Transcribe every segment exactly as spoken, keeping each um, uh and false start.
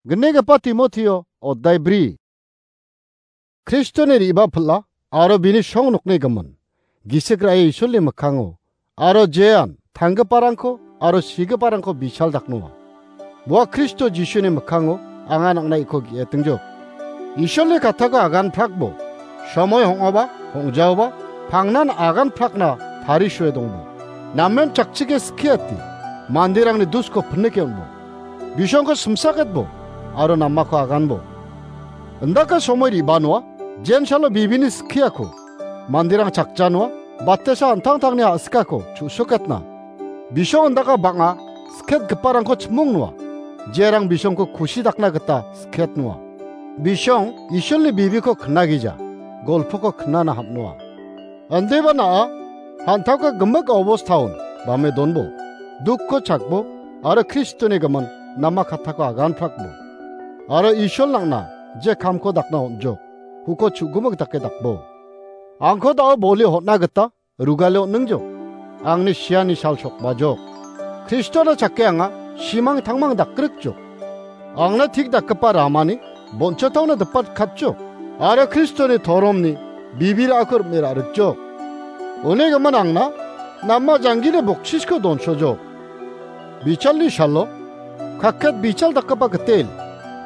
Gnigipa Timotio, oddai bri. Kristoni re·bapil·a aro bini song nokni gimin, gisik ra·e Isolni mikkango aro jean tanggiparangko aro sigiparangko bichal daknoa. Ua Kristo Jisuni mikkango anga nang·na iko ge·etingjok. Isolni kattako agan prakbo, somoi hong·aba, hong·jaoba, pangnan agan prakna tarisoe dongbo. Namen chakchike skiati, manderangni dusko pinike on·bo. Bisongko simsaketbo, aro namako aganbo. Indaka somoi re·banoa, jensalo bibini skiako, manderang chakjanoa, batesa an·tangtangni a·sikako chu·soketna. Bisong indaka bang·a sketgiparangko chimongnoa, jerang bisongko kusi dakna gita sketnoa. Bisong Isolni bibiko knagija, golpoko knana ham·noa. Andeba na·a, han·tangka gimik obostaon bame donbo, dukko chakbo, aro Kristoni gimin nama kattako agan prakbo. Aro Isol nang·na je kamko dakna on·jok, uko chu·gimik dake dakbo. Angko da·o boli hotna gita rugale on·ningjok. Angni siani sal sokbajok. Kristona chake anga simang tangmang dakrikjok. Angna tik dakgipa ramani bonchataona dipatkatjok. Aro Kristoni toromni bibirako rim·e ra·rikjok. Uni gimin angna nama janggini boksisko donsojok. Bichalni salo, kakket bichal dakgipa gitel,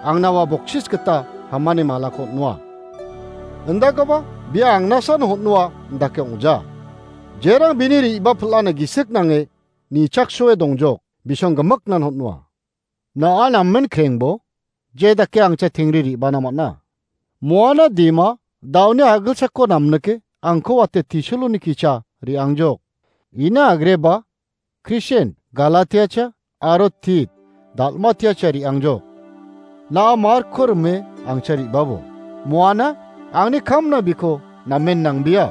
angna ua boksis gita hamani malako on·noa. Indakoba bia angnasan hon·noa indake ong·ja. Jerang bini re·bapil·ana gisik nange nichaksoe dongjok, bisong gimiknan hon·noa. Na·a namen krengbo, je dake angcha tengri re·bana man·a. Moana dima, da·oni agilsako namnike, angko wate tisoloni kicha re·angjok. Ina agreba, Krisen, Galatiacha, aro Tit, Dalmatiacha re·angjok. Na·a Markko rime angcha re·babo. Moana, angni kamna biko namen nangbia.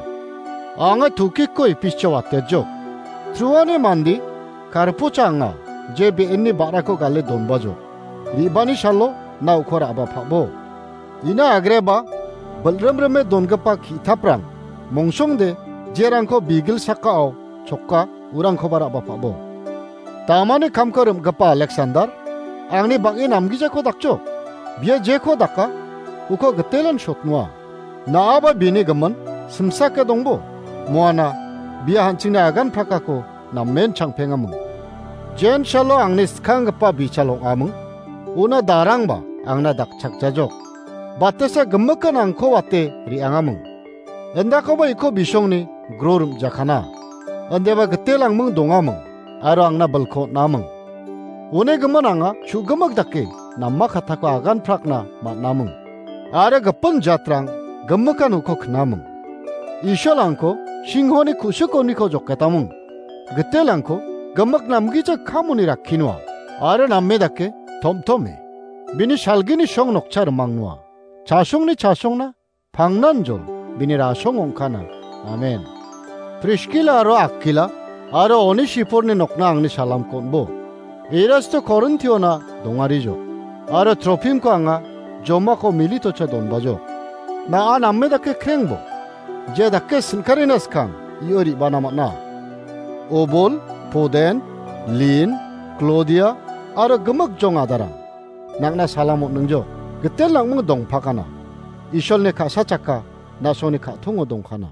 Anga Tukiko Epischa watejok. Truani mande, Karpocha anga, je be·enni ba·rako gale donbajok. Re·bani salo, na uko ra·bapabo. Ina agreba, bilrimrime dongipa ki·taprang, mongsongde, jerangko bigil sakao choka, urangkoba ra·bapabo. Tamani kamko rim·gipa Aleksandar, angni bang·e namgijako dakjok. Bia jeko daka, uko gitelan sotnoa. Na·aba bini gimin, simsake dongbo. Moana, bia hanchingni agan prakako, namen changpengaming. Jensalo angni skanggipa bichal ong·aming. Una darangba angna dakchakjajok. Batesa gimikan angko wate re·angaming. Indakoba iko bisongni gro rim·jakana. Indeba gitelangming dongaming, aro angna bilko on·aming. Uni gimin anga chu·gimik dake nama kattako agan prakna man·aming. Aro gipin jatrang gimikan uko knaming. Isolangko singhoni ku·sikoniko joketaming. Gitelangko gimik namgija kamoni rakkinoa, aro name dake tom·tome. Bini salgini song nokcha rimangnoa. Chasongni chasongna pangnan jol bini rasong ong·kana. Amen. Priskila aro Akila aro Onesiporni nokna angni salamko on·bo. Erasto Korintiona dongarijok, aro Tropimko anga Jomako Militocha donbajok. Na·a name dake krengbo, je dake sin·karina skang io re·bana man·a. Obol, Poden, Lin, Klodia, aro gimik jong adarang. Nang·na salam on·ningjok, gitel nang·ming dongpakana. Isolni ka·sa chakka, na·songni ka·tongo dongkana.